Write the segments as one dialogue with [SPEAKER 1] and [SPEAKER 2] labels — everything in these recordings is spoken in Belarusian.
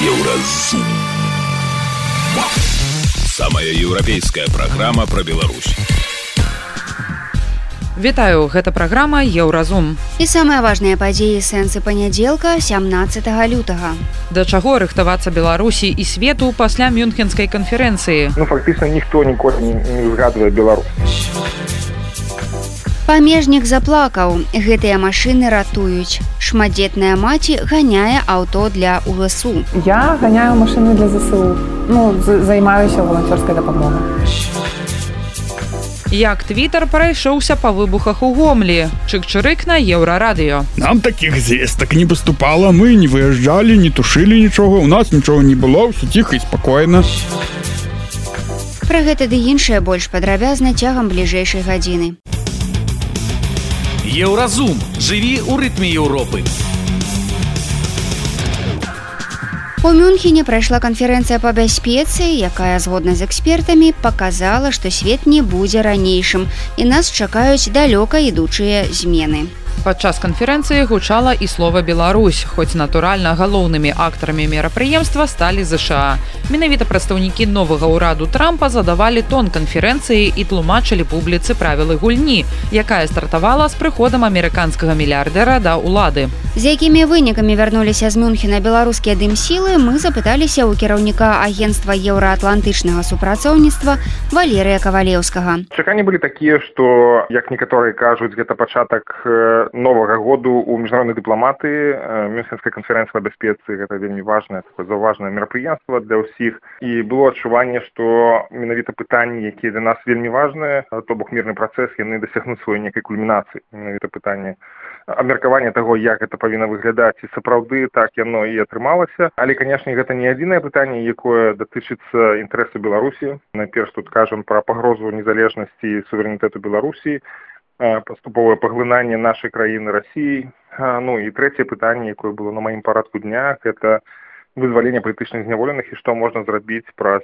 [SPEAKER 1] Еўразум. Самая еўрапейская праграма пра Беларусь.
[SPEAKER 2] Вітаю, гэта праграма «Еўразум».
[SPEAKER 3] І самыя важныя падзеі сэнсы панядзелка 17 лютага.
[SPEAKER 2] Да чаго рыхтавацца Беларусі і свету пасля Мюнхенскай канферэнцыі?
[SPEAKER 4] Фактычна ніхто ніколі не згадвае Беларусь.
[SPEAKER 3] Памежнік заплакаў. Гэтыя машыны ратуюць. Шматдзетная маці ганяе аўто для УСУ.
[SPEAKER 5] Я ганяю машыны для ЗСУ. Займаюся воланцёрскай дапамогай.
[SPEAKER 2] Як Твіттер прайшоўся па выбухах у Гомлі. Чык-чырык на Еўрарадыё.
[SPEAKER 6] Нам такіх звестак не паступала, мы не выязджалі, не тушылі нічога, у нас нічога не было, ўсё ціха і спакойна.
[SPEAKER 3] Пра гэта ды іншае больш падрабязна цягам бліжэйшай гадзіны.
[SPEAKER 1] Еўразум. Жыві ў рытме Еўропы.
[SPEAKER 3] У Мюнхене прайшла канферэнцыя па бяспецы, якая, згодна з экспертамі, паказала, што свет не будзе ранейшым, і нас чакаюць далёка ідучыя змены.
[SPEAKER 2] Падчас канферэнцыі гучала і слова «Беларусь», хоць, натуральна, галоўнымі актарамі мерапрыемства сталі ЗША. Менавіта прадстаўнікі новага ўраду Трампа задавалі тон канферэнцыі і тлумачылі публіцы правілы гульні, якая стартавала з прыходам амерыканскага мільярдэра да ўлады.
[SPEAKER 3] З якімі вынікамі вярнуліся з Мюнхена беларускія дымсілы, мы запыталіся ў кіраўніка агенцтва еўраатлантычнага супрацоўніцтва Валерыя Кавалеўскага.
[SPEAKER 4] Чаканні былі такія, што, як некаторыя кажуць, гэта пачатак новага году ў міжнароднай дыпламатыі. Мюнхенская канферэнцыя па бяспецы гэта вельмі важнае, такое заўважнае мерапрыемства для ўсіх. І было адчуванне, што менавіта пытанні, якія для нас вельмі важныя, то бок мірны працэс, яны дасягнуць сваёй некай кульмінацыі. Менавіта пытанне абмеркавання таго, як гэта павінна выглядаць, і сапраўды так яно і атрымалася. Але, канешне, гэта не адзінае пытанне, якое датычыцца інтарэсу Беларусі. Найперш тут кажам пра пагрозу незалежнасці і суверэнітэту Беларусі, паступовае паглынанне нашай краіны Расіі. І трэцяе пытанне, якое было на маім парадку дня, гэта вызваленне палітычных зняволеных і што можна зрабіць праз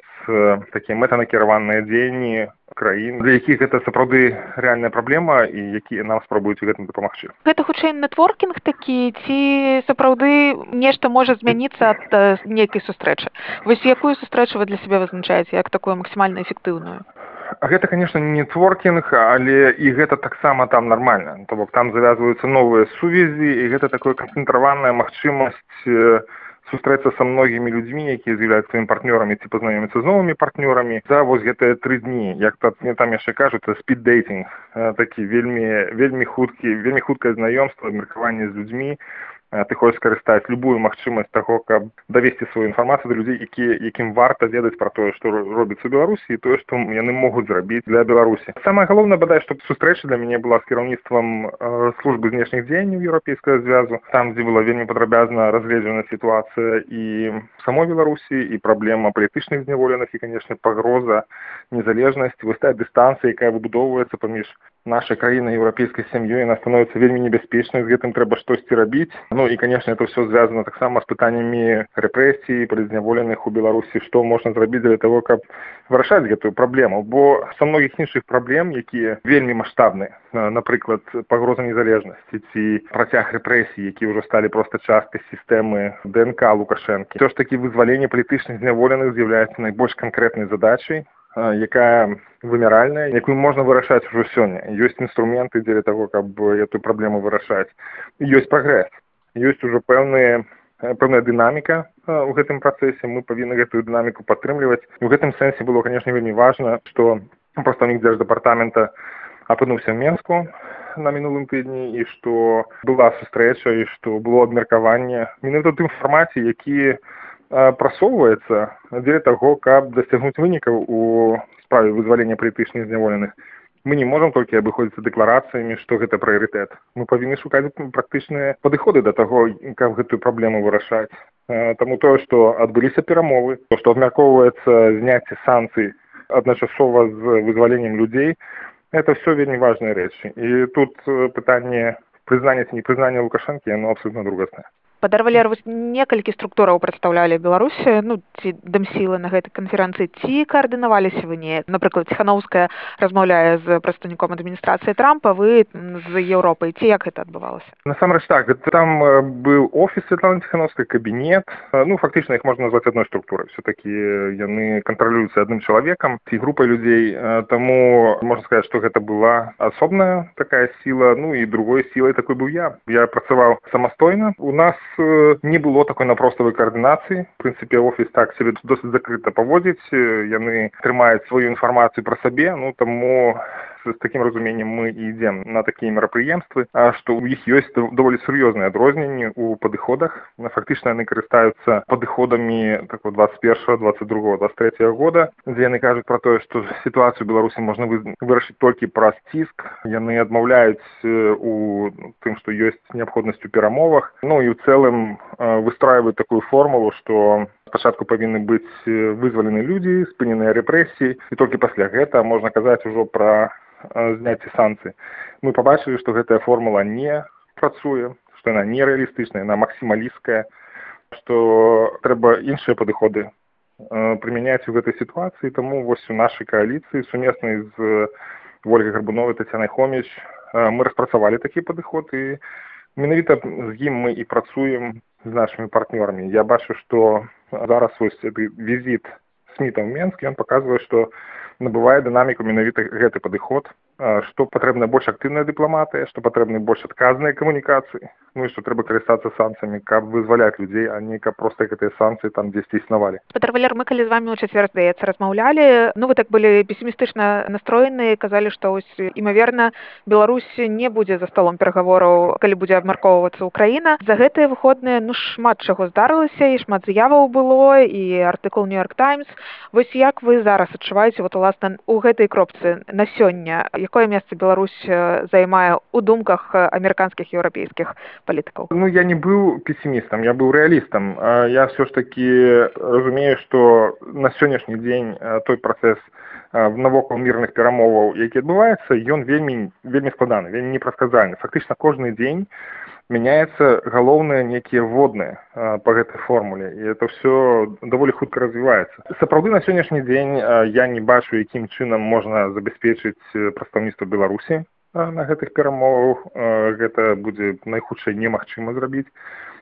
[SPEAKER 4] такія мэтанакіраваныя дзеянні краін, для якіх гэта сапраўды рэальная праблема і якія нам спрабуюць у гэтым дапамагчы.
[SPEAKER 5] Гэта хутчэй нетворкінг такі, ці сапраўды нешта можа змяніцца ад нейкай сустрэчы? Вось якую сустрэчу вы для сябе вызначаеце, як такую максімальна эфектыўную?
[SPEAKER 4] Гэта, конечно, не нетворкінг, але і гэта таксама там нармальна. То бок там завязваюцца новыя сувязі, і гэта такая канцэнтраваная магчымасць сустрэцца са многімі людзьмі, якія з'яўляюцца сваімі партнёрамі, ці пазнаёміцца з новымі партнёрамі за вось гэтыя 3 дні. Як там яшчэ кажуць, спід-дейтинг, такі вельмі хуткае знаёмства, абмеркаванне з людзьмі. Ты хочаш скарыстаць любую магчымасць таго, каб давесці сваю інфармацыю да людзей, якім варта ведаць пра тое, што робіцца ў Беларусі, і тое, што яны могуць зрабіць для Беларусі. Самае галоўнае, бадай, што сустрэча для мяне была з кіраўніцтвам службы знешніх дзеянняў Еўрапейскага звязу, там, дзе была вельмі падрабязна разгледжана сітуацыя і самой Беларусі, і праблема палітычных зняволеных, і, канешне, пагроза незалежнасці, вось тая дыстанцыя, якая выбудоўваецца паміж нашай краінай еўрапейскай сям'ёй, яна становіцца вельмі небяспечнай, з гэтым трэба штосьці рабіць. І, канешне, это ўсё звязана таксама з пытаннямі рэпрэсій, палітзняволеных у Беларусі, што можна зрабіць для того, каб вырашаць гэтую праблему. Бо са многіх іншых праблем, якія вельмі маштабныя, напрыклад, пагроза незалежнасці ці працяг рэпрэсій, які ўжо сталі проста часткай сістэмы ДНК Лукашэнкі. Усё ж такі вызваленне палітычных зняволеных з'яўляецца найбольш канкрэтнай задачай, якая вымяральная, якую можна вырашаць ужо сёння. Ёсць інструменты дзеля таго, каб эту праблему вырашаць. Ёсць прагрэс. Ёсць ужо пэўная дынаміка ў гэтым працэсе. Мы павінны гэтую дынаміку падтрымліваць. І ў гэтым сэнсе было, канешне, вельмі важна, што прадстаўнік дзярждэпартамента апынуўся ў Менску на мінулым тыдні, і што была сустрэча, і што было абмеркаванне менавіта ў тым фармаце, які прасоўваецца дзеля таго, каб дасягнуць вынікаў у справе вызвалення палітычных зняволеных. Мы не можам толькі абыходзіцца дэкларацыямі, што гэта прыярытэт. Мы павінны шукаць практычныя падыходы да таго, каб гэтую праблему вырашаць. Таму тое, што адбыліся перамовы, то, што абмяркоўваецца зняцце санкцый адначасова з вызваленнем людзей, это ўсё вельмі важныя рэчы. І тут пытанне прызнання ці непрызнання Лукашэнкі, яно абсолютно другаснае.
[SPEAKER 5] Падарвалер, вось некалькі структураў прадстаўлялі Беларусі, ну, ці дамсілы на гэтай канферэнцыі, ці каардынаваліся вы неяк? Напрыклад, Ціханаўская размаўляе з прадстаўніком адміністрацыі Трампа, вы з Еўропай. Ці як гэта адбывалася?
[SPEAKER 4] Насамрэч так, там быў офіс Святланы Ціханаўскай, кабінет. Ну, фактычна іх можна назваць адной структурай. Все-таки яны кантралююцца адным чалавекам ці групай людзей. Таму можна сказаць, што гэта была асобная такая сіла, ну і другой сілай такой быў я. Я працаваў самастойна. У нас не было такой напроставай каардынацыі. В прынцыпе, офіс так сябе досыць закрыта паводзіць. Яны трымаюць сваю інфармацыю пра сабе, ну таму з такім разуменнем мы і ідзем на такія мерапрыемствы, што ў іх ёсць даволі сур'ёзныя адрозненні ў падыходах. Фактычна яны карыстаюцца падыходамі 21, 22, 23 года, дзе яны кажуць пра тое, што сітуацыю ў Беларусі можна вырашыць толькі праз ціск. Яны адмаўляюць у тым, што ёсць неабходнасць у перамовах. Ну і ў цэлым выстройваюць такую формулу, што спачатку павінны быць вызвалены людзі, спыненыя рэпрэсіі, і толькі пасля гэта можна казаць ужо пра зняцце санкцый. Мы пабачылі, што гэтая формула не працуе, што яна нерэалістычная, яна максімалісткая, што трэба іншыя падыходы прымяняць у гэтай сітуацыі. Таму вось у нашай кааліцыі сумеснай з Ольгай Гарбуновай, Тацянай Хоміч мы распрацавалі такі падыход, і менавіта з ім мы і працуем з нашымі партнёрамі. Я бачу, што зараз вось візіт Сміта ў Менск, ён паказвае, што набывае дынаміку менавіта гэты падыход, што патрэбна больш актыўная дыпламатыя, што патрэбны больш адказныя камунікацыі, ну і што трэба карыстацца санкцыямі, каб вызваляць людзей, а не каб проста гэтыя санкцыі там дзесьці існавалі.
[SPEAKER 5] Падарвалер, мы калі з вамі ў чацвер, здаецца, размаўлялі, ну вы так былі песімістычна настроеныя, казалі, што ось імаверна Беларусь не будзе за столом перагавораў, калі будзе абмяркоўвацца Украіна. За гэтыя выходныя ну шмат чаго здарылася, і шмат заяваў было, і артыкул New York Times. Вось як вы зараз адчуваеце вот уласна у гэтай кропцы на сёння? Якое месца Беларусь займае ў думках амерыканскіх і еўрапейскіх палітыкаў?
[SPEAKER 4] Ну, я не быў песімістам, я быў рэалістам. Я все ж таки разумею, што на сённяшні дзень той працэс навокал мірных перамоваў, які адбываецца, ён вельмі складаны, вельмі непрадказальны. Фактычна кожны дзень мяняецца галоўныя некія вводныя па гэтай формуле, і это все даволі хутка развіваецца. Сапраўды на сённяшні дзень я не бачу, якім чынам можна забяспечыць прадстаўніцтва Беларусі на гэтых перамовах. Гэта будзе найхутчэй немагчыма зрабіць,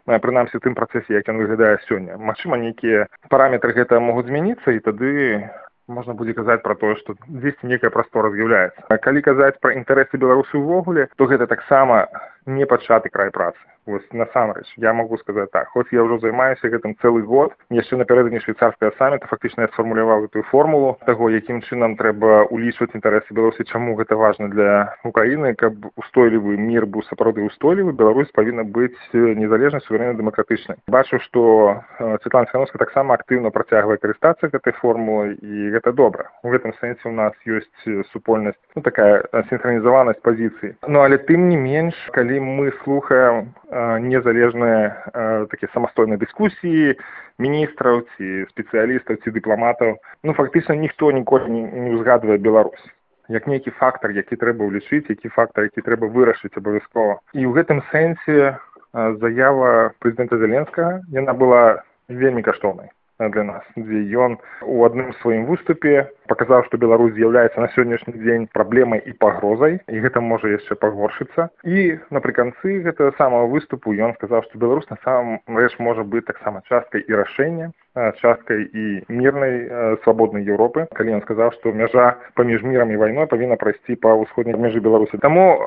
[SPEAKER 4] прынамсі у тым працэсе, як ён выглядае сёння. Магчыма, нейкія параметры гэта могуць змяніцца, і тады можна будзе казаць пра тое, што дзесьці некая прастора з'яўляецца. Калі казаць пра інтарэсы Беларусі ўвогуле, то гэта таксама не пачаты край працы. Вось насамрэч, я магу сказаць так, хоць я ўжо займаюся гэтым цэлы год, яшчэ напярэдадні швейцарскага самміта фактычна я сфармуляваў гэтую формулу таго, якім чынам трэба улічваць інтарэсы Беларусі, чаму гэта важна для Украіны, каб устойлівы мір быў сапраўды устойлівы, Беларусь павінна быць незалежнай, суверэннай, дэмакратычнай. Бачу, што Святлана Ціханаўская таксама актыўна працягвае карыстацца гэтай формулай, і гэта добра. У гэтым сэнсе у нас ёсць супольнасць, ну такая сінхранізаванасць пазіцыі. Ну але тым не менш, калі мы слухаем незалежныя такія самастойныя дыскусіі міністраў ці спецыялістаў ці дыпламатаў, ну фактычна ніхто ніколі не ўзгадвае Беларусь як нейкі фактар, які трэба ўлічыць, які фактар, які трэба вырашыць абавязкова. І ў гэтым сэнсе заява прэзідэнта Зеленскага, яна была вельмі каштоўнай для нас, дзе ён у адным сваім выступе паказаў, што Беларусь з'яўляецца на сённяшні дзень праблемай і пагрозай, і гэта можа яшчэ пагоршыцца. І напрыканцы гэтага самага выступу ён сказаў, што Беларусь на самом рэч можа быць таксама часткай і рашэння, часткай і мірнай свабоднай Еўропы, калі ён сказаў, што мяжа паміж мірам і вайной павінна прайсці па ўсходняй мяжы Беларусі. Таму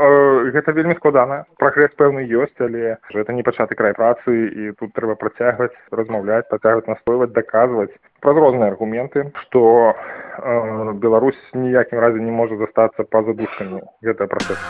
[SPEAKER 4] гэта вельмі складана. Прагрэс пэўны ёсць, але гэта не пачаты край працы, і тут трэба працягваць, размаўляць, працягваць настойваць, даказваць праз розныя аргументы, што Беларусь ніякім разе не можа застацца па-за дужкамі гэтага працэсу.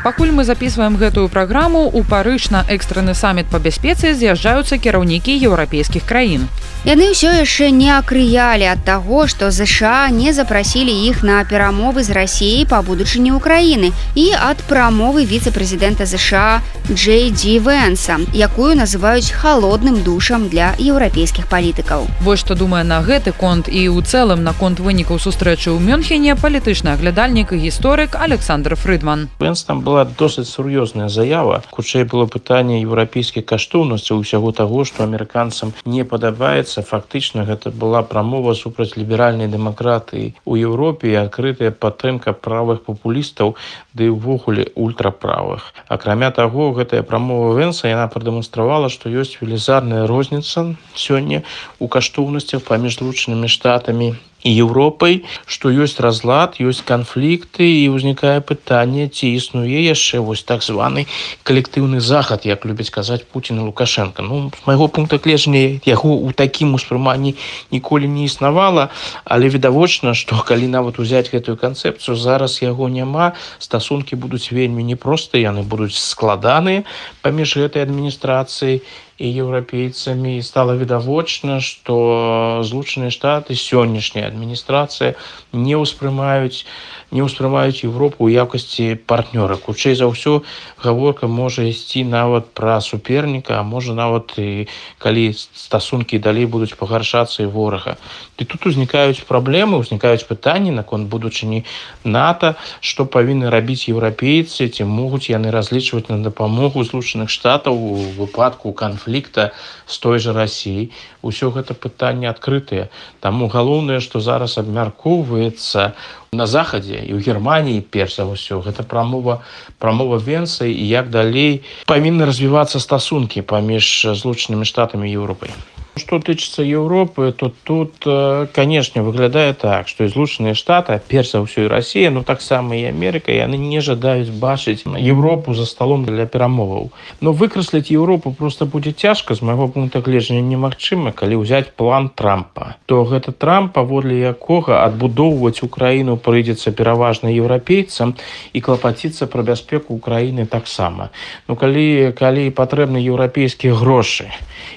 [SPEAKER 2] Пакуль мы записываем гэтую праграму, у Парыж на экстраны саміт па бяспецы з'язджаюцца кіраўнікі еўрапейскіх краін.
[SPEAKER 3] Яны ўсё яшчэ не акрыялі ад таго, што ЗША не запрасілі іх на перамовы з Расіяй па будучыні Украіны, і ад прамовы віцэ-прэзідэнта ЗША Джей Ді Вэнса, якую называюць халодным душам для еўрапейскіх палітыкаў.
[SPEAKER 2] Вось што думае на гэты конт і ў цэлым на конт вынікаў сустрэчы ў Мюнхене палітычны аглядальнік і гісторык Александр Фрыдман.
[SPEAKER 7] Вэнс там была досыць сур'ёзная заява. Хутчэй было пытанне еўрапейскай каштоўнасці ўсяго таго, што амерыканцам не падабаецца. Фактычна гэта была прамова супраць ліберальнай дэмакратыі ў Еўропе і адкрытая падтрымка правых папулістаў, ды ўвогуле ультраправых. Акрамя таго, гэтая прамова Венса яна прадэманстравала, што ёсць велізарная розніца сёння ў каштоўнасцях паміж Злучанымі Штатамі і Еўропай, што ёсць разлад, ёсць канфлікты і ўзнікае пытанне, ці існуе яшчэ вось так званы калектыўны захад, як любяць казаць Пуцін і Лукашенко. З майго пункта гледжання яго ў такім успрыманні ніколі не існавала, але відавочна, што калі нават узяць гэтую канцэпцыю, зараз яго няма, стасункі будуць вельмі непростыя, яны будуць складаныя паміж гэтай адміністрацыяй і еўрапейцамі. Стала відавочна, што Злучаныя Штаты, сённяшняя адміністрацыя не ўспрымаюць Еўропу ў якасці партнёра. Хутчэй за ўсё гаворка можа ісці нават пра суперніка, а можа нават і калі стасункі далей будуць пагаршацца і ворага. І тут узнікаюць праблемы, узнікаюць пытанні наконт будучыні НАТО, што павінны рабіць еўрапейцы, ці могуць яны разлічваць на дапамогу Злучаных Штатаў у выпадку канфлікта з той жа Расіяй. Усё гэта пытанне адкрытае. Таму галоўнае, што зараз абмяркоўваецца на захадзе і ў Германіі, перш за ўсё, гэта прамова Венса і як далей павінны развівацца стасункі паміж Злучанымі Штатамі і Еўропай. Што тычыцца Еўропы, то тут, канешне, выглядае так, што і Злучаныя Штаты, перш за ўсё і Расія, таксама і Амерыка, яны не жадаюць бачыць Еўропу за сталом для перамоваў. Но выкрасліць Еўропу проста будзе цяжка, з майго пункта гледжання немагчыма, калі ўзяць план Трампа. То гэта Трамп, паводле якога адбудоўваць Украіну прыйдзецца пераважна еўрапейцам і клапаціцца пра бяспеку Украіны таксама. Калі патрэбны еўрапейскія грошы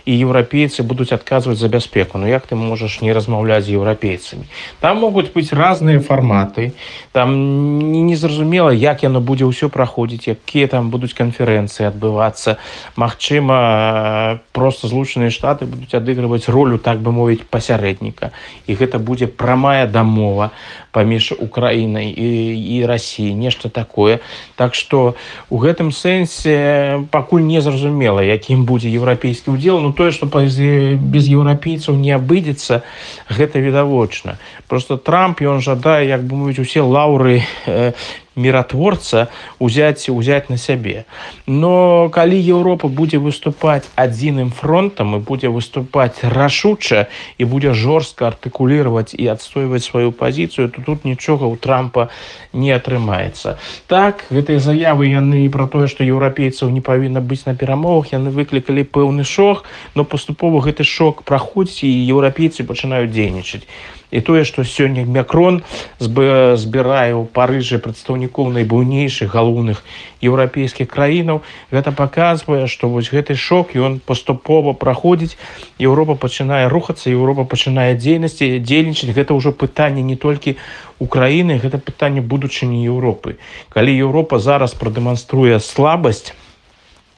[SPEAKER 7] і еўрапейцы будуць адказваць за бяспеку, як ты можаш не размаўляць з еўрапейцамі? Там могуць быць разныя фарматы, там незразумела, як яно будзе ўсё праходзіць, якія там будуць канферэнцыі адбывацца. Магчыма, проста Злучаныя Штаты будуць адыгрываць ролю, так бы мовіць, пасярэдніка. І гэта будзе прамая дамова паміж Украінай і Расіяй, нешта такое. Так што у гэтым сэнсе пакуль не зразумела, якім будзе еўрапейскі ўдзел. Тое, што без еўрапейцаў не абыдзецца, гэта відавочна. Просто Трамп, ён жадае, як бы мовіць, усе лаўры міратворца узяць на сябе. Но калі Еўропа будзе выступаць адзіным фронтам і будзе выступаць рашуча і будзе жорстка артыкулировать і адстойваць сваю пазіцыю, то тут нічога ў Трампа не атрымаецца. Так, гэтыя заявы яны пра тое, што еўрапейцаў не павінна быць на перамовах, яны выклікалі пэўны шок, но паступова гэты шок праходзіць і еўрапейцы пачынаюць дзейнічаць. І тое, што сёння Макрон збірае ў Парыжы прадстаўнікоў найбуйнейшых галоўных еўрапейскіх краінаў, гэта паказвае, што вось гэты шок, ён паступова праходзіць, Еўропа пачынае рухацца, Еўропа пачынае дзейнічаць. Гэта ўжо пытанне не толькі Украіны, гэта пытанне будучыні Еўропы. Калі Еўропа зараз прадэманструе слабасць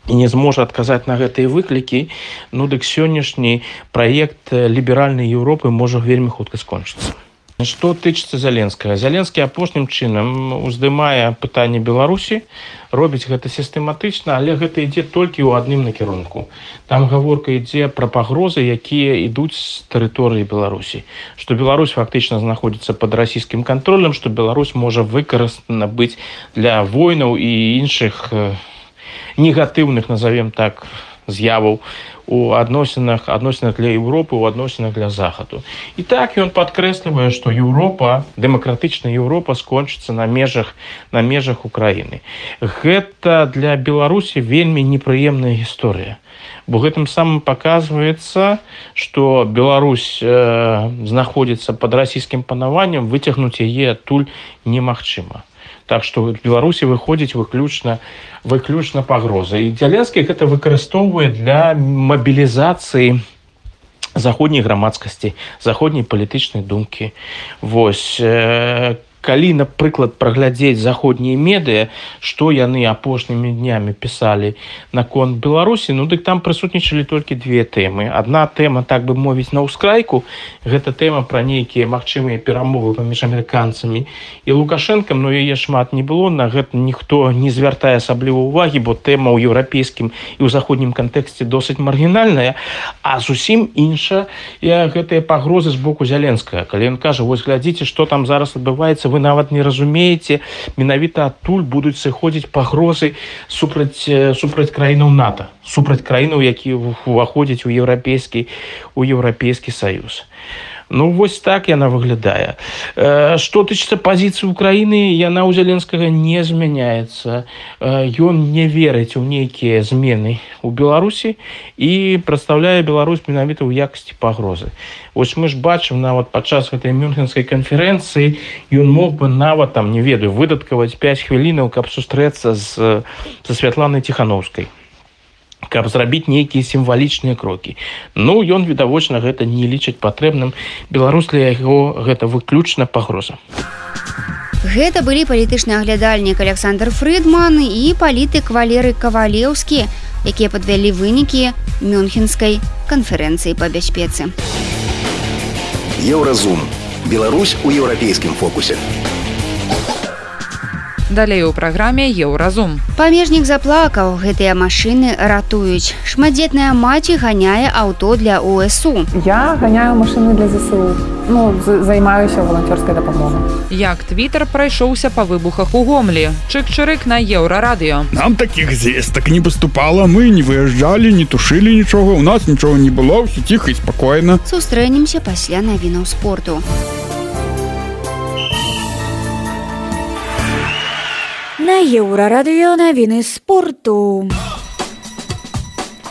[SPEAKER 7] і не зможа адказаць на гэтыя выклікі, дык сённяшні праект ліберальнай Еўропы можа вельмі хутка скончыцца. Што тычыцца Зеленскага? Зеленскі апошнім чынам уздымае пытанне Беларусі, робіць гэта сістэматычна, але гэта ідзе толькі ў адным накірунку. Там гаворка ідзе пра пагрозы, якія ідуць з тэрыторыі Беларусі. Што Беларусь фактычна знаходзіцца пад расійскім кантролем, што Беларусь можа выкарыстана быць для войнаў і іншых негатыўных, назовем так, з'яваў у адносінах для Еўропы, у адносінах для Захаду. І так ён падкрэслівае, што Еўропа, дэмакратычная Еўропа скончыцца на межах Украіны. Гэта для Беларусі вельмі непрыемная гісторыя. Бо гэтым самым паказваецца, што Беларусь знаходзіцца пад расійскім панаваннем, выцягнуць яе адтуль немагчыма. Так што в Беларусі выходзіць выключна пагроза. І Зеленскі гэта выкарыстоўвае для мабілізацыі заходняй грамадскасці, заходняй палітычнай думкі. Вось. калі, напрыклад, праглядзець заходнія медыа, што яны апошнімі днямі пісалі наконт Беларусі, ну дык там прысутнічалі толькі две тэмы. Адна тэма, так бы мовіць, на ўскрайку, гэта тэма пра нейкія магчымыя перамовы паміж амерыканцамі і Лукашэнкам, но яе шмат не было, на гэта ніхто не звяртае асабліва ўвагі, бо тэма ў еўрапейскім і ў заходнім кантэксце досыць маргінальная, а зусім інша гэтыя пагрозы з боку Зяленскага. Калі ён кажа, вось глядзіце, што там зараз адбываецца, вы нават не разумееце, менавіта адтуль будуць сыходзіць пагрозы супраць краінаў НАТО, супраць краінаў, якія уваходзяць у еўрапейскі саюз. Ну, вось так яна выглядае. Што тычыцца пазіцыі Украіны, яна ў Зяленскага не змяняецца. Ён не верыць у нейкія змены ў Беларусі і прадстаўляе Беларусь менавіта ў якасці пагрозы. Вось мы ж бачым, нават падчас гэтай мюнхенскай канферэнцыі ён мог бы нават, там, не ведаю, выдаткаваць 5 хвілінаў, каб сустрэцца са Святланай Ціхановскай, каб зрабіць нейкія сімвалічныя крокі. Ну, ён, відавочна, гэта не лічыць патрэбным. Беларусь для яго гэта выключна пагроза.
[SPEAKER 3] Гэта былі палітычны аглядальнік Александр Фрыдман і палітык Валерый Кавалеўскі, якія падвялі вынікі Мюнхенскай канферэнцыі па бяспецы.
[SPEAKER 8] Еўразум. Беларусь у еўрапейскім фокусе.
[SPEAKER 2] Далей у праграме «Еўразум».
[SPEAKER 3] Памежнік заплакаў, гэтыя машыны ратуюць. Шматдзетная маці ганяе аўто для УСУ.
[SPEAKER 9] Я ганяю машыны для ЗСУ. Займаюся волонцёрскай дапамогай.
[SPEAKER 2] Як Твіттер прайшоўся па выбухах у Гомлі. Чык-чырык на Еўрарадыё.
[SPEAKER 6] Нам такіх звестак не паступала, мы не выязджалі, не тушылі нічога, у нас нічога не было, ўсё ціха і спакойна.
[SPEAKER 3] Сустрэнемся пасля навінаў спорту.
[SPEAKER 10] На Еўрарадыё навіны спорту.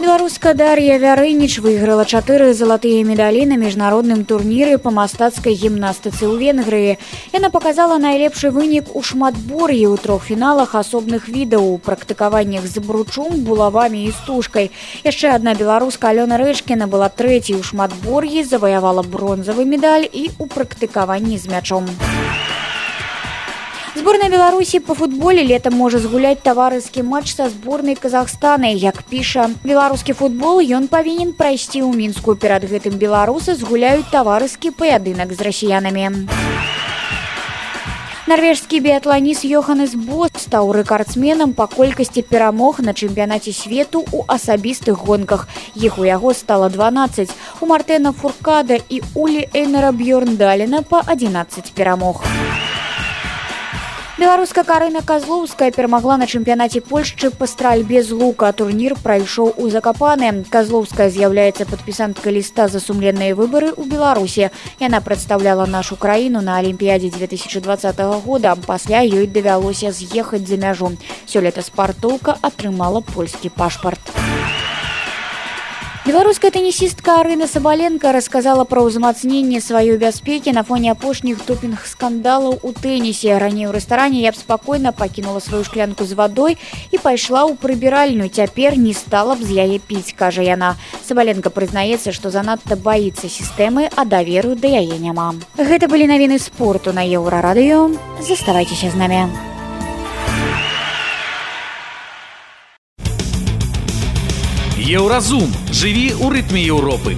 [SPEAKER 10] Беларуска Дар'я Вярыніч выйграла 4 залатыя медалі на міжнародным турніры па мастацкай гімнастыцы ў Венгрыі. Яна паказала найлепшы вынік у шматбор'і ў 3 фіналах асобных відаў, у практыкаваннях з бручом, булавамі і стужкай. Яшчэ адна беларуска Алёна Рэчкіна была 3-й у шматбор'і, заваявала бронзавы медаль і ў практыкаванні з мячом. Зборная Беларусі па футболе летам можа згуляць таварыскі матч са зборнай Казахстана. Як піша беларускі футбол, ён павінен прайсці ў Мінску. Перад гэтым беларусы згуляюць таварыскі паядынак з расіянамі. Нарвежскі біятланіст Йоханнес Бо стаў рэкардсменам па колькасці перамог на чэмпіянаце свету ў асабістых гонках. Іх у яго стала 12. У Мартена Фуркада і Улі Эйнара Бьёрндалена па 11 перамог. Беларуска Карына Казлоўская перамагла на чэмпіянаце Польшчы па стральбе з лука. Турнір прайшоў у Закапане. Казлоўская з'яўляецца падпісанткай ліста за сумленныя выбары ў Беларусі. Яна прадстаўляла нашу краіну на Алімпіядзе 2020 года. Пасля ёй давялося з'ехаць за мяжу. Сёлета спартоўка атрымала польскі пашпарт. Беларуская тэнісістка Арына Сабаленко расказала пра ўзмацненне сваёй бяспекі на фоне апошніх допінг-скандалаў у тэнісе. Раней у рэстаране я б спакойна пакінула сваю шклянку з вадой і пайшла ў прыбіральню. Цяпер не стала б з яе піць, кажа яна. Сабаленко прызнаецца, што занадта баіцца сістэмы, а даверу да яе няма. Гэта былі навіны спорту на Еўрарадыё. Заставайцеся з намі.
[SPEAKER 1] Еўразум. Жыві ў рытме Еўропы.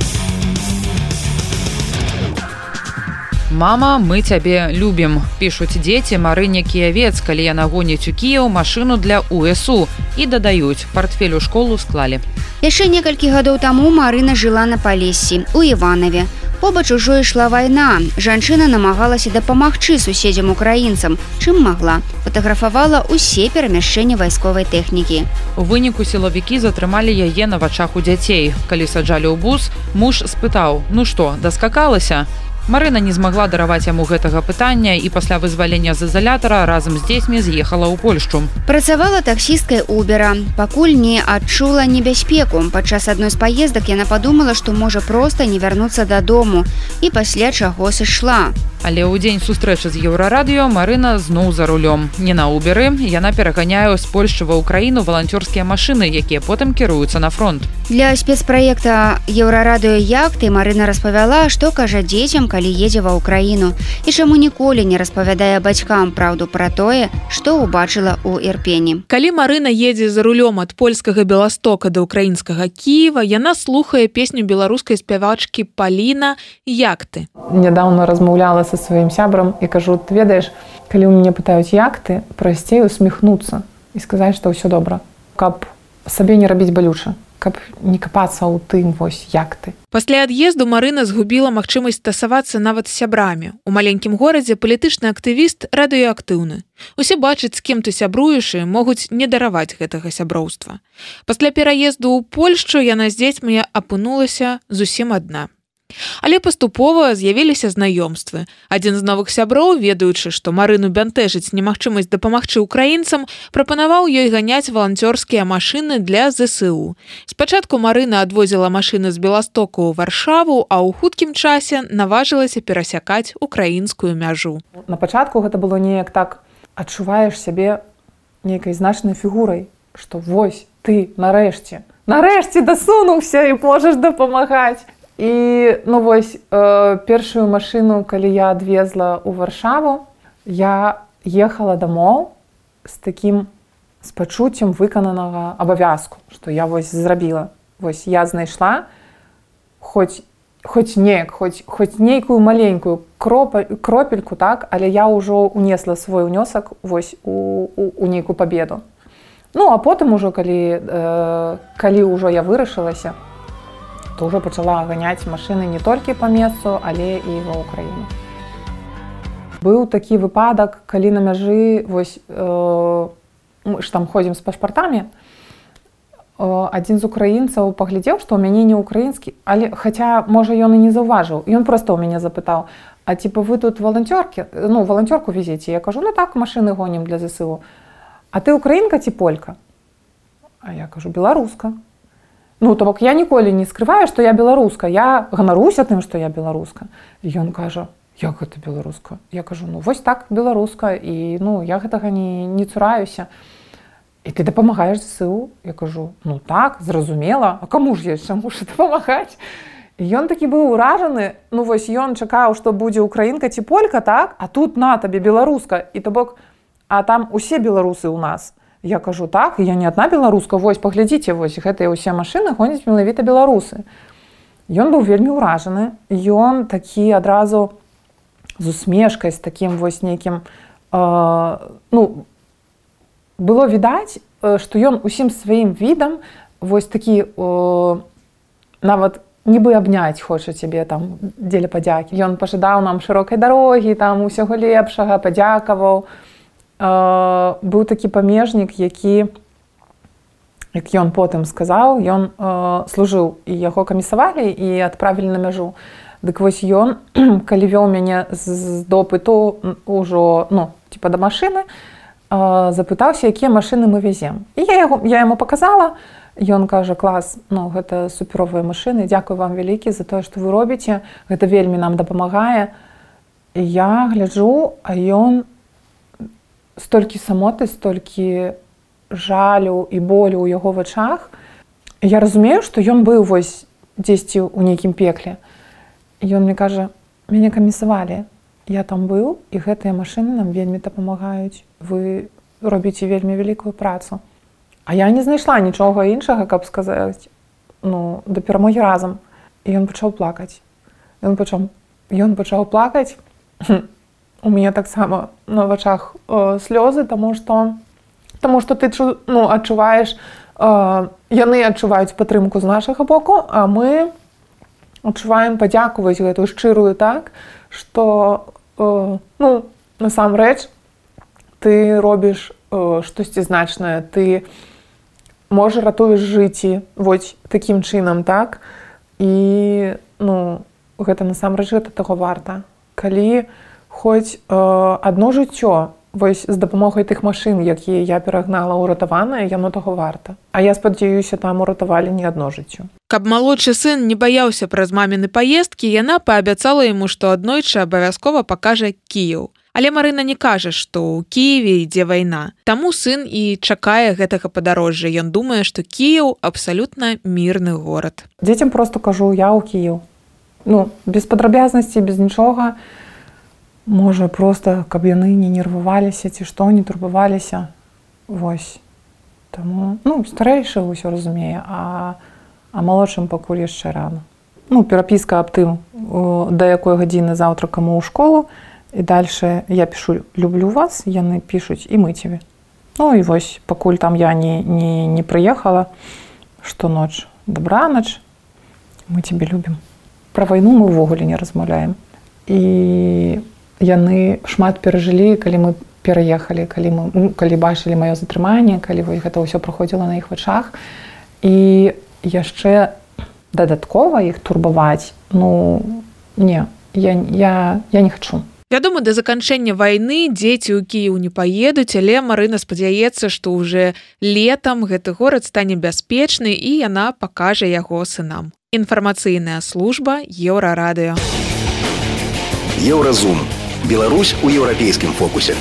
[SPEAKER 2] «Мама, мы цябе любім», пішуць дзеці Марыне Кіявец, калі яна гоніць у Кіеў машыну для УСУ. І дадаюць, партфель у школу склалі.
[SPEAKER 3] Яшчэ некалькі гадоў таму Марына жыла на Палессі, у Іванаве. Побач ужо ішла вайна. Жанчына намагалася дапамагчы суседзям-украінцам, чым магла. Фатаграфавала ўсе перамяшчэнні вайсковай тэхнікі.
[SPEAKER 2] У выніку сілавікі затрымалі яе на вачах у дзяцей. Калі саджалі ў бус, муж спытаў: «Ну што, даскакалася?» Марына не змагла дараваць яму гэтага пытання і пасля вызвалення з ізалятара разам з дзецьмі з'ехала ў Польшчу.
[SPEAKER 3] Працавала таксісткай Убера. Пакуль не адчула небяспеку. Падчас адной з паездак яна падумала, што можа проста не вярнуцца дадому. І пасля чаго сышла.
[SPEAKER 2] Але ў дзень сустрэчы з Еўрарадыё Марына зноў за рулём. Не на Уберы, яна пераганяе з Польшчы ва ўкраіну валанцёрскія машыны, якія потым кіруюцца на фронт.
[SPEAKER 3] Для спецпраекта Еўрарадыё Яхты Марына распавяла, што кажа дзецям, калі едзе ва ўкраіну і чаму ніколі не распавядае бацькам праўду пра тое, што ўбачыла ў Ірпені.
[SPEAKER 11] Калі Марына едзе за рулём ад польскага Беластока да ўкраінскага Кіева, яна слухае песню беларускай спявачкі Паліна «Як ты?».
[SPEAKER 9] Нядаўна размаўляла са сваім сябрам і кажу: ты ведаеш, калі ў мяне пытаюць як ты, прасцей усміхнуцца і сказаць, што ўсё добра, каб сабе не рабіць балюча, каб не капацца ў тым, вось як ты.
[SPEAKER 11] Пасля ад'езду Марына згубіла магчымасць стасавацца нават з сябрамі. У маленькім горадзе палітычны актывіст радыёактыўны. Усе бачаць, з кім ты сябруеш, і могуць не дараваць гэтага сяброўства. Пасля пераезду ў Польшчу яна з дзецьмі апынулася зусім адна. Але паступова з'явіліся знаёмствы. Адзін з новых сяброў, ведаючы, што Марыну бянтэжыць немагчымасць дапамагчы ўкраінцам, прапанаваў ёй ганяць валанцёрскія машыны для ЗСУ. Спачатку Марына адвозіла машыны з Беластоку ў Варшаву, а ў хуткім часе наважылася перасякаць украінскую мяжу.
[SPEAKER 9] На пачатку гэта было неяк так: адчуваеш сябе нейкай значнай фігурай, што вось ты нарэшце дасунуўся і можаш дапамагаць. І, вось, першую машыну, калі я адвезла ў Варшаву, я ехала дамоў з пачуццем выкананага абавязку, што я вось зрабіла. Вось я знайшла хоць нейкую маленькую кропельку, так, але я ўжо унесла свой унёсак вось у нейкую пабеду. А потым ужо, калі ўжо я вырашылася, то ўжо пачала ганяць машыны не толькі па месцу, але і ва ўкраіну. Быў такі выпадак, калі на мяжы, вось, мы ж там ходзім з пашпартамі, адзін з украінцаў паглядзеў, што ў мяне не ўкраінскі, але, хаця, можа, ён і не заўважыў. Ён проста ў мяне запытаў: а типа вы тут валанцёрку везеце? Я кажу: так, машыны гонім для ЗСУ. А ты украінка ці полька? А я кажу: беларуска. То бок я ніколі не скрываю, што я беларуска. Я ганаруся тым, што я беларуска. І ён кажа: як гэта беларуска? Я кажу: вось так, беларуска, і я гэтага не цураюся. І ты дапамагаеш ЗСУ? Я кажу: так, зразумела, а каму ж яшчэ мушу дапамагаць? І ён такі быў уражаны, вось ён чакаў, што будзе украінка ці полька, так? А тут на табе беларуска, і то бок, а там усе беларусы ў нас. Я кажу: так, я не адна беларуска, вось, паглядзіце, вось, гэтыя ўсе машыны гоняць менавіта беларусы. Ён быў вельмі ўражаны, ён такі адразу з усмешкай, з такім вось нейкім, было відаць, што ён усім сваім відам вось такі, нават нібы абняць хоча цябе там дзеля падзякі. Ён пажадаў нам шырокай дарогі, там усяго лепшага, падзякаваў. Быў такі памежнік, які, як ён потым сказаў, ён служыў, і яго камісавалі і адправілі на мяжу. Дык вось ён, калі вёў мяне з допыту ўжо, да машыны, запытаўся, якія машыны мы везем. І я яму паказала, ён кажа: клас, гэта суперовыя машыны, дзякуй вам вялікі за тое, што вы робіце, гэта вельмі нам дапамагае. І я гляджу, а ён столькі самоты, столькі жалю і болю ў яго вачах. Я разумею, што ён быў вось дзесьці ў нейкім пекле. Ён мне кажа: мяне камісавалі, я там быў, і гэтыя машыны нам вельмі дапамагаюць. Вы робіце вельмі вялікую працу. А я не знайшла нічога іншага, каб сказаць: да перамогі разам. І ён пачаў плакаць. Ён пачаў плакаць. У мяне таксама на вачах слёзы, таму што ты адчуваеш, яны адчуваюць падтрымку з нашага боку, а мы адчуваем падзяку вось гэтую шчырую, так, што насамрэч ты робіш штосьці значнае, ты можа ратуеш жыцці вось такім чынам, так, і гэта насамрэч гэта таго варта. Калі хоць адно жыццё вось з дапамогай тых машын, якія я перагнала ўратаванае, яно таго варта. А я спадзяюся, там уратавалі не адно жыццё.
[SPEAKER 11] Каб малодшы сын не баяўся праз маміны паездкі, яна паабяцала яму, што аднойчы абавязкова пакажа Кіеў. Але Марына не кажа, што ў Кіеве ідзе вайна. Таму сын і чакае гэтага падарожжа. Ён думае, што Кіеў абсалютна мірны горад.
[SPEAKER 9] Дзецям проста кажу: я ў Кіеў. Ну, без падрабязнасці, без нічога. Можа, проста, каб яны не нерваваліся ці што, не турбаваліся. Вось. Таму, ну, старэйшы ўсё разумее, а малодшым пакуль яшчэ рана. Ну, перапіска аб тым, да якой гадзіны заўтра каму ў школу, і дальше я пишу «люблю вас», яны пишуць «і мы тебе». Ну і вось, пакуль там я не прыехала, што ноч, добраноч, мы тебе любім. Пра вайну мы ўвогуле не размаўляем. І яны шмат перажылі, калі мы пераехалі, калі бачылі маё затрыманне, калі гэта ўсё праходзіла на іх вачах. І яшчэ дадаткова іх турбаваць, ну, не, я не хачу.
[SPEAKER 11] Вядома, да заканчэння вайны дзеці ў Кіеў не паедуць, але Марына спадзяецца, што ўжо летам гэты горад стане бяспечны і яна пакажа яго сынам. Інфармацыйная служба Еўрарадыё.
[SPEAKER 8] Еўразум. Беларусь у еўрапейскім фокусе.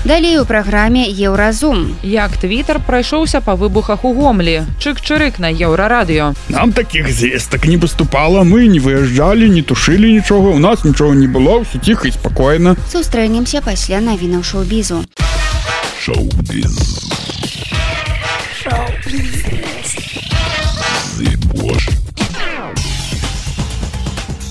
[SPEAKER 3] Далей у праграме «Еўразум».
[SPEAKER 2] Як Твіттер прайшоўся па выбухах у Гомлі. Чык-чырык на Еўрарадыё.
[SPEAKER 6] Нам такіх звестак не паступала, мы не выязджалі, не тушылі нічога, у нас нічога не было, ўсё ціха і спакойна.
[SPEAKER 3] Сустрэнемся пасля навінаў шоу-бізу.
[SPEAKER 6] Шоу-біз.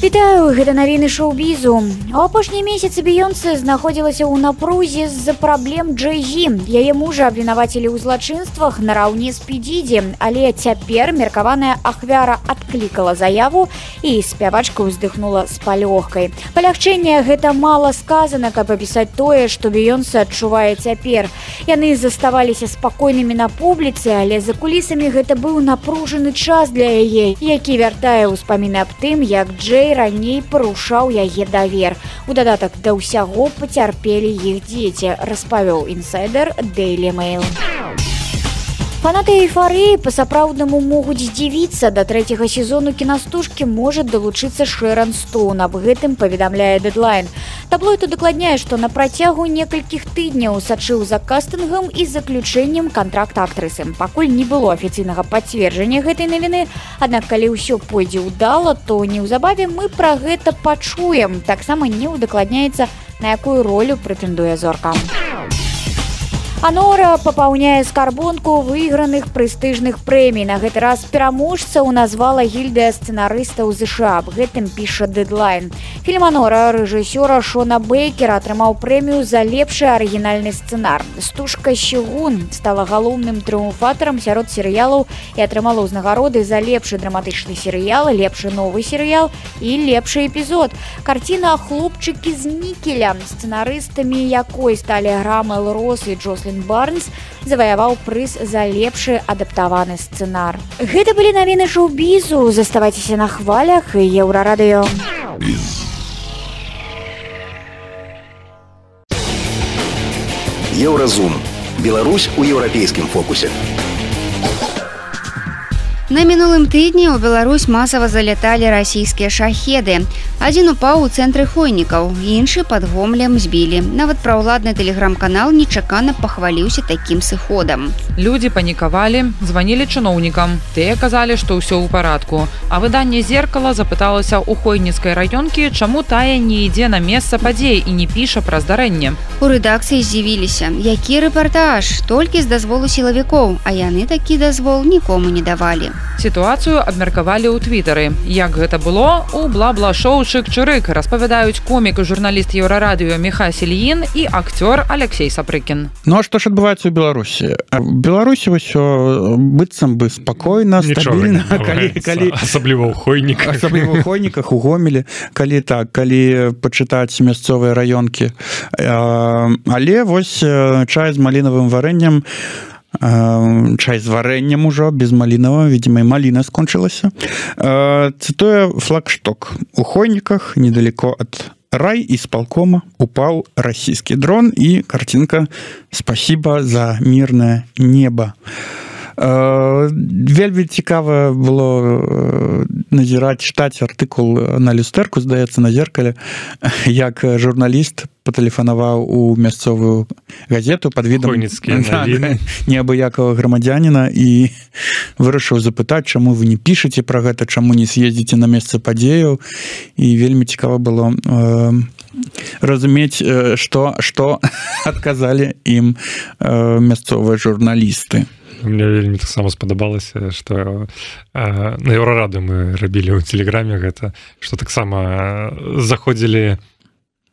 [SPEAKER 10] Вітаю, гэта навіны шоу-бізу. У апошнія месяцы Бейонсе знаходзілася ў напрузе з-за праблем Джэй-Зі. Яе мужа абвінавацілі ў злачынствах нараўне з Пі-Діді, але цяпер меркаваная ахвяра адклікала заяву і спявачка ўздыхнула з палёгкай. Палягчэнне гэта мала сказана, каб апісаць тое, што Бейонсе адчувае цяпер. Яны заставаліся спакойнымі на публіцы, але за кулісамі гэта быў напружаны час для яе, які вяртае ўспаміны аб тым, як Джэй раней парушаў яе давер. У дадатак да ўсяго пацярпелі іх дзеці, распавёў інсайдер Daily Mail. Фанаты эйфарыі па-сапраўднаму могуць здзівіцца. Да 3-го сезону кінастужкі можа далучыцца Шэран Стоун. Аб гэтым паведамляе Deadline. Таблоід удакладняе, што на працягу некалькіх тыдняў сачыў за кастынгам і заключэннем кантракта актрысы. Пакуль не было афіцыйнага пацверджання гэтай навіны, аднак калі ўсё пойдзе ўдала, то неўзабаве мы пра гэта пачуем. Таксама не удакладняецца, на якую ролю прэтэндуе зорка. Анора папаўняе скарбонку выйграных прэстыжных прэмій. На гэты раз пераможцаў назвала гільдыя сцэнарыстаў ЗША. Аб гэтым піша Deadline. Фільм «Анора» рэжысёра Шона Бейкера атрымаў прэмію за лепшы арыгінальны сцэнар. «Стужка Щегун» стала галоўным трыумфатарам сярод серыялаў і атрымала ўзнагароды за лепшы драматычны серыял, лепшы новы серыял і лепшы эпізод. Карціна «Хлопчыкі з нікеля», сцэнарыстамі якой сталі Грам Элрос і Джослін Барнс, заваяваў прыз за лепшы адаптаваны сцэнар. Гэта былі навіны шоу-бізу. Заставайцеся на хвалях і Еўрарадыё.
[SPEAKER 8] Еўразум. Беларусь у еўрапейскім фокусе.
[SPEAKER 3] На мінулым тыдні ў Беларусь масава заляталі расійскія шахеды. Адзін упаў у цэнтры Хойнікаў, іншы пад Гомлем збілі. Нават праўладны тэлеграм-канал нечакана пахваліўся такім сыходам.
[SPEAKER 2] Людзі панікавалі, званілі чыноўнікам. Тыя казалі, што ўсё ў парадку. А выданне «Зеркала» запыталася ў хойніцкай раёнкі, чаму тая не ідзе на месца падзей і не піша пра здарэнне.
[SPEAKER 3] У рэдакцыі здзівіліся. Які рэпартаж? Толькі з дазволу сілавікоў, а яны такі дазвол нікому не давалі.
[SPEAKER 2] Сітуацыю абмеркавалі ў твітары. Як гэта было? У бла-бла-шоу «Чык-чырык» распавядаюць комік і журналіст Еўрарадыё Міхась Ільін і акцёр Алексей Сапрыкін.
[SPEAKER 6] Ну а што ж адбываецца ў Беларусі? В Беларусі ўсё быццам бы спакойна, стабільна,
[SPEAKER 12] асабліва ў хойніках.
[SPEAKER 6] Асабліва ў хойніках, у Гомелі, калі пачытаць мясцовыя раёнкі. Але вось чай з малінавым варэннем, чай з варэннем ужо, без малінава, видимо, і маліна скончылася. Цытуе флагшток. У Хойніках, недалеко ад райисполкома, упал российский дрон, и картинка «Спасибо за мирное небо». Вельмі цікава было назіраць, чытаць артыкул на люстэрку, здаецца, на зеркале, як журналіст патэлефанаваў у мясцовую газету пад відам неабыякавага грамадзяніна і вырашыў запытаць, чаму вы не пішаце пра гэта, чаму не з'ездзіце на месца падзеяў, і вельмі цікава было разумець, што адказалі ім мясцовыя журналісты.
[SPEAKER 12] Мне вельмі таксама спадабалася, што на Еўрараду мы рабілі ў тэлеграме гэта, што таксама заходзілі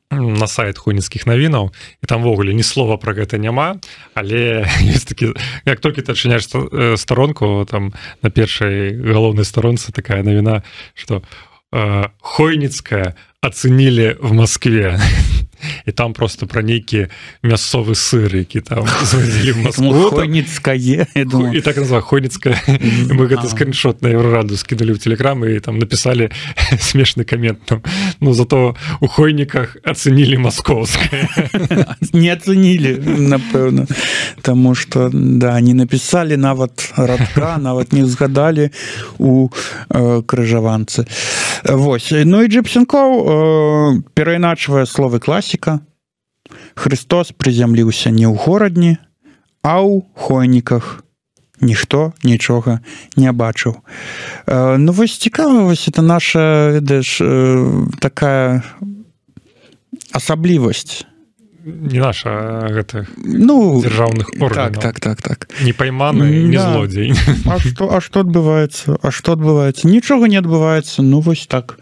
[SPEAKER 12] на сайт хойніцкіх навінаў, і там ввогуле ні слова пра гэта няма, але ёсць такі, як толькі ты адчыняеш старонку, там на першай галоўнай старонцы такая навіна, што Хойніцкая ацэнілі в Москве. І там просто пра нейкі мясцовы сыр, які там звазілі в Москву.
[SPEAKER 6] Хойніцкае, я думаю.
[SPEAKER 12] І так назвала Хойніцкая. Мы гэты скриншот на Еўрараду скинули в телеграм і там написали смешны коммент. Ну, зато у Хойніках ацэнілі маскоўскае.
[SPEAKER 6] Не ацэнілі, напэўна. Таму што, да, не написали нават радка, нават не згадалі у крыжаванцы. Вось. Ну і Джэпсенкоў перайначвае словы класіка. Христос прызямліўся не ў горадні, а ў хойніках. Ніхто нічога не бачыў. Ну вось цікава, вось это наша, ведаеш, такая асаблівасць.
[SPEAKER 12] Не наша, гэта дзяржаўных органаў.
[SPEAKER 6] Так.
[SPEAKER 12] Не пайманы, не злодзей.
[SPEAKER 6] А што адбываецца? Нічога не адбываецца. Ну вось так.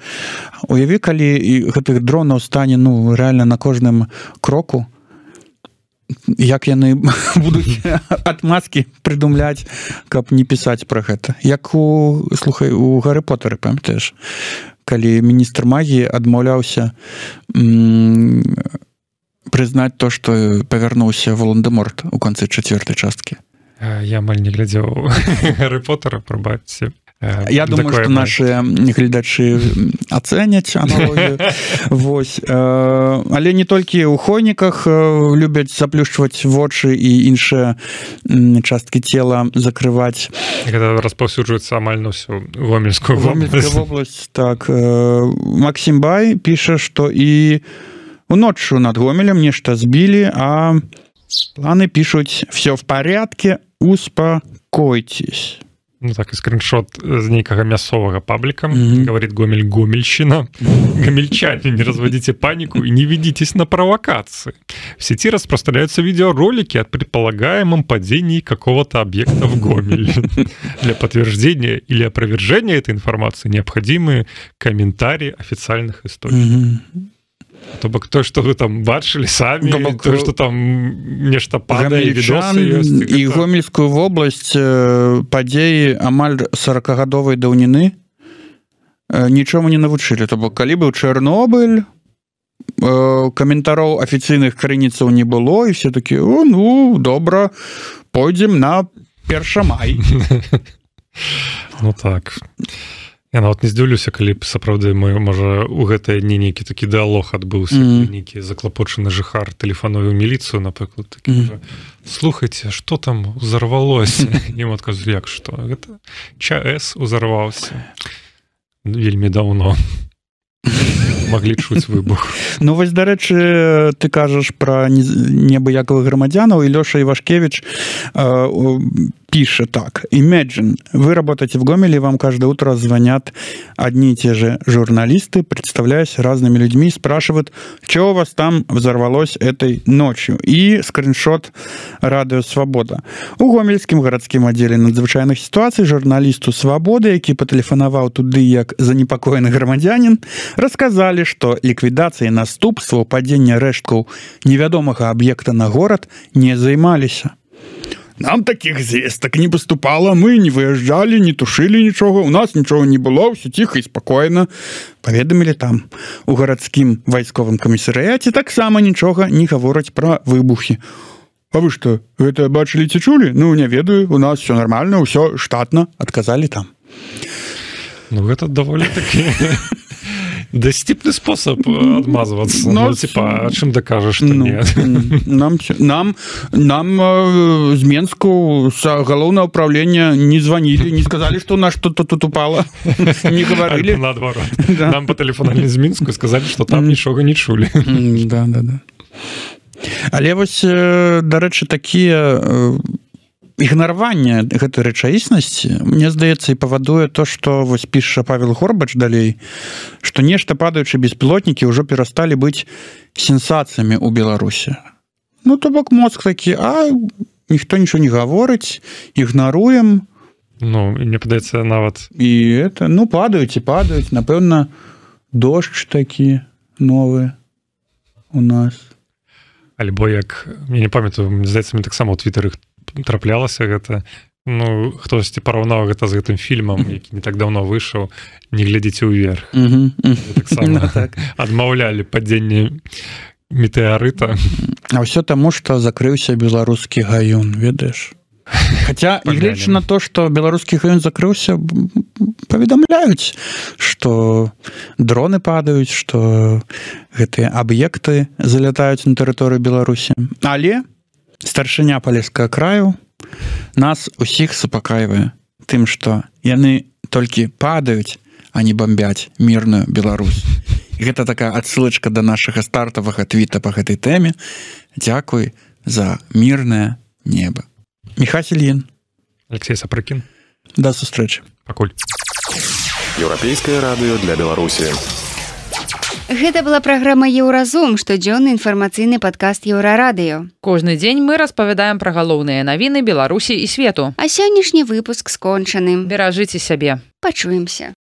[SPEAKER 6] Уяві, калі гэтых дронаў стане, ну, рэальна на кожным кроку, як яны будуць адмазкі прыдумляць, каб не пісаць пра гэта. Як у Гарры Потары, памятаеш, калі міністр магіі адмаўляўся прызнаць то, што павярнуўся Волан-де-Морт у канцы 4-й часткі.
[SPEAKER 12] Я амаль не глядзеў Гарры Потара, прабачце.
[SPEAKER 6] Я думаю, што нашы гледачы ацэняць аналогію. Вось. Але не толькі ў хойніках любяць заплюшчваць вочы і іншыя часткі цела закрываць.
[SPEAKER 12] Гэта распаўсюджваецца амаль на ўсю Гомельскую
[SPEAKER 6] вобласць. Так. Максім Бай піша, што і уноччу над Гомелем нешта збілі, а планы пишут: все в порядке, успокойтесь.
[SPEAKER 12] Ну так, и скриншот з нейкага мясцовага пабліка. Говорит Гомель, Гомельщина. Гомельчане, не разводите панику и не ведитесь на провокации. В сети распространяются видеоролики о предполагаемом падении какого-то объекта в Гомеле. Для подтверждения или опровержения этой информации необходимы комментарии официальных источников. То бок то, што вы там бачылі самі, то, што там нешта падае, відосы ёсць.
[SPEAKER 6] І Гомельскую вобласць падзеі амаль 40гадовай даўніны нічому не навучылі. То бок, калі быў Чэрнобыль, каментароў афіцыйных крыніцаў не было, і все такі: о, ну, добра, пойдзем на 1 май.
[SPEAKER 12] Ну так. Я нават не здзіўлюся, калі б сапраўды можа у гэтыя дні нейкі такі дыалог адбыўся, нейкі заклапочаны жыхар тэлефануе ў міліцыю, напрыклад, такі: слухайце, што там узарвалося? Ім адказваюць: як што? Гэта ЧАЭС узарваўся вельмі даўно. Маглі чуць выбух.
[SPEAKER 6] Ну вось, дарэчы, ты кажаш пра неабыякавых грамадзянаў, і Лёша Івашкевіч пишет так: Imagine, вы работаете в Гомеле, вам каждое утро звонят одни и те же журналисты, представляясь разными людьми, спрашивают, что у вас там взорвалось этой ночью. И скриншот радио «Свобода». У Гомельскім гарадскім аддзеле надзвычайных ситуаций журналисту «Свободы», які патэлефанаваў туды як занепакоены грамадзянин, рассказали, что ликвидацией наступстваў падзення рэшткаў невядомага объекта на город не займаліся. Нам таких звесток не поступало, мы не выезжали, не тушили ничего, у нас ничего не было, все тихо и спокойно. Поведомили там. У гарадскім вайсковым камісарыяце таксама нічога не гавораць пра выбухи. А вы что, это бачили ці чулі? Ну, не ведаю, у нас все нормально, все штатно, отказали там.
[SPEAKER 12] Ну, гэта даволі такі дасціпны спосаб адмазвацца. Ну, типа, а чым дакажаш, што нет?
[SPEAKER 6] Нам з Менску з галоўнага ўправлення не званілі, не сказалі, што у нас что-то тут упало. Не говорили.
[SPEAKER 12] Наадварот. Нам патэлефанавалі з Мінску і сказалі, што там нічога не чулі.
[SPEAKER 6] Да. Але вось, дарэчы, такія ігнараванне гэтай рэчаіснасці, мне здаецца, і павадуе то, што вось піша Павел Горбач далей, што нешта падаючы беспілотнікі ўжо перасталі быць сенсацыямі ў Беларусі. Ну, то бок мозг такі, а ніхто нічого не гаворыць, ігнаруем.
[SPEAKER 12] Ну, мне падаецца нават...
[SPEAKER 6] І это, ну, падаюць, напэўна, дождж такі новы у нас.
[SPEAKER 12] Альбо як, я не памятаю, здаецца, мне таксама ў твітары траплялася гэта, ну, хтосьці параўнаў гэта з гэтым фільмам, які не так даўно выйшаў, не глядзіце ўверх. Таксама адмаўлялі падзенне метэарыта.
[SPEAKER 6] А ўсё таму, што закрыўся беларускі гаюн, ведаеш? Хаця, нягледзячы на то, што беларускі гаюн закрыўся, паведамляюць, што дроны падаюць, што гэтыя аб'екты залятаюць на тэрыторыю Беларусі. Але старшыня палескага краю нас усіх супакайвае тым, што яны толькі падаюць, а не бомбяць мірную Беларусь. І гэта такая адсылачка да нашага стартавага твіта па гэтай тэме. Дзякуй за мірнае неба. Міхась Ільін.
[SPEAKER 12] Алексей Сапрыкін.
[SPEAKER 6] Да сустрэчы.
[SPEAKER 12] Пакуль.
[SPEAKER 8] Еўрапейскае радыё для Беларусі.
[SPEAKER 3] Гэта была праграма «Еўразум», штодзённы інфармацыйны падкаст «Еўрарадыё».
[SPEAKER 2] Кожны дзень мы распавядаем пра галоўныя навіны Беларусі і свету.
[SPEAKER 3] А сённяшні выпуск скончаны.
[SPEAKER 2] Беражыце сябе.
[SPEAKER 3] Пачуемся.